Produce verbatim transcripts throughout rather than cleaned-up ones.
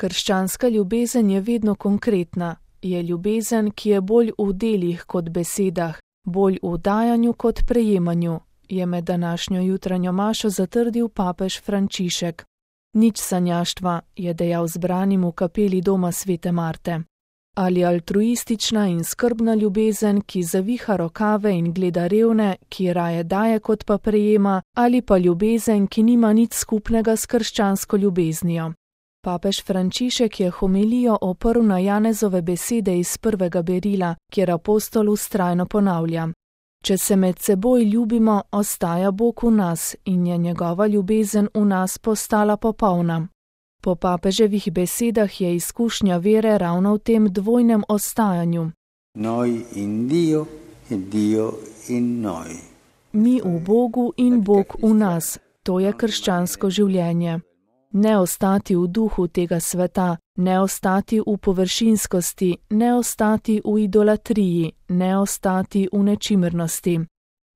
Krščanska ljubezen je vedno konkretna, je ljubezen, ki je bolj v delih kot besedah, bolj v dajanju kot prejemanju, je med današnjo jutranjo mašo zatrdil papež Frančišek. Nič sanjaštva, je dejal zbranim v kapeli doma svete Marte. Ali altruistična in skrbna ljubezen, ki zaviha rokave in gleda revne, ki raje daje kot pa prejema, ali pa ljubezen, ki nima nič skupnega s krščansko ljubeznijo. Papež Frančišek je homilijo oprl na Janezove besede iz prvega berila, kjer apostol vztrajno ponavlja: Če se med seboj ljubimo, ostaja Bog v nas in je njegova ljubezen v nas postala popolna. Po papeževih besedah je izkušnja vere ravno v tem dvojnem ostajanju. Noi in Dio e Dio in noi. Mi v Bogu in Bog v nas, to je krščansko življenje. Ne ostati v duhu tega sveta, ne ostati v površinskosti, ne ostati v idolatriji, ne ostati v nečimrnosti.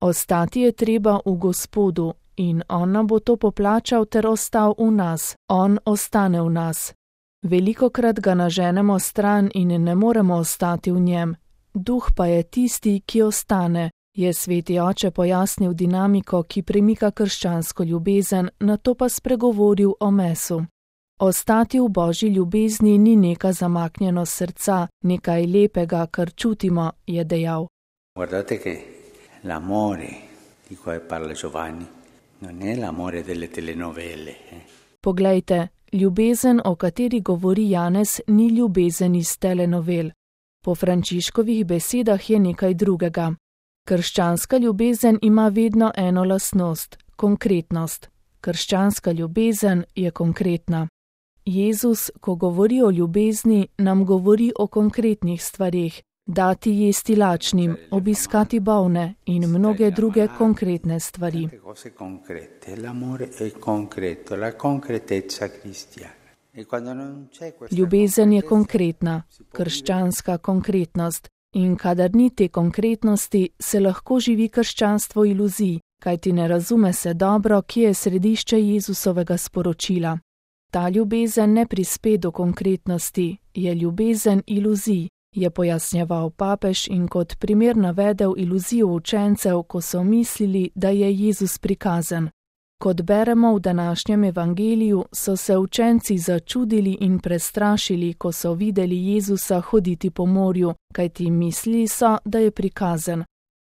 Ostati je treba v Gospodu in On nam bo to poplačal ter ostal v nas, On ostane v nas. Velikokrat ga naženemo stran in ne moremo ostati v njem, duh pa je tisti, ki ostane, je sveti oče pojasnil dinamiko, ki premika krščansko ljubezen, nato pa spregovoril o mesu. Ostati v Božji ljubezni ni neka zamaknjenost srca, nekaj lepega, kar čutimo, je dejal. Guardate che l'amore di cui parla Giovanni non è l'amore delle telenovele. Eh? Poglejte, ljubezen, o kateri govori Janez, ni ljubezen iz telenovel. Po Frančiškovih besedah je nekaj drugega. Krščanska ljubezen ima vedno eno lastnost, konkretnost. Krščanska ljubezen je konkretna. Jezus, ko govori o ljubezni, nam govori o konkretnih stvareh, dati jesti lačnim, obiskati bolne in mnoge druge konkretne stvari. Ljubezen je konkretna, krščanska konkretnost. In kadar ni te konkretnosti, se lahko živi krščanstvo iluzij, kajti ne razume se dobro, kje je središče Jezusovega sporočila. Ta ljubezen ne prispe do konkretnosti, je ljubezen iluzij, je pojasnjeval papež in kot primer navedel iluzijo učencev, ko so mislili, da je Jezus prikazan. Kot beremo v današnjem evangeliju, so se učenci začudili in prestrašili, ko so videli Jezusa hoditi po morju, kajti mislili so, da je prikazan.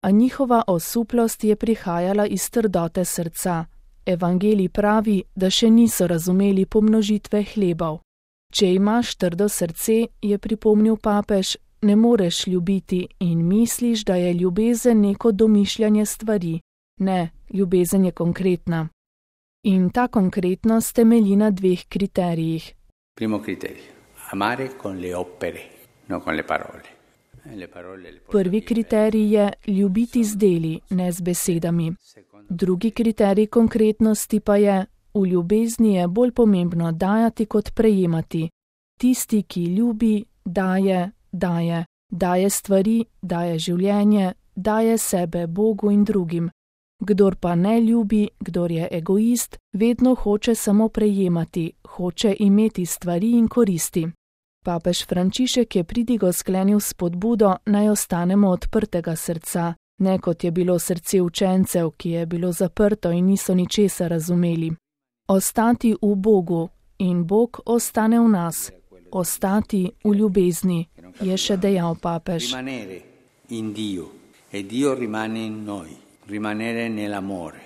A njihova osuplost je prihajala iz trdote srca. Evangelij pravi, da še niso razumeli pomnožitve hlebov. Če imaš trdo srce, je pripomnil papež, ne moreš ljubiti in misliš, da je ljubezen neko domišljanje stvari. Ne, ljubezen je konkretna. In ta konkretnost temelji na dveh kriterijih. Primo kriterij, amare con le opere, no con le parole. Le parole le Prvi kriterij je ljubiti z deli, ne z besedami. Drugi kriterij konkretnosti pa je, v ljubezni je bolj pomembno dajati kot prejemati. Tisti, ki ljubi, daje, daje, daje stvari, daje življenje, daje sebe Bogu in drugim. Kdor pa ne ljubi, kdor je egoist, vedno hoče samo prejemati, hoče imeti stvari in koristi. Papež Frančišek je pridigo sklenil s spodbudo, naj ostanemo odprtega srca, ne kot je bilo srce učencev, ki je bilo zaprto in niso ničesar razumeli. Ostati v Bogu in Bog ostane v nas, ostati v ljubezni, je še dejal papež. Rimanere in Dio e Dio rimane in noi. Rimanere nell'amore.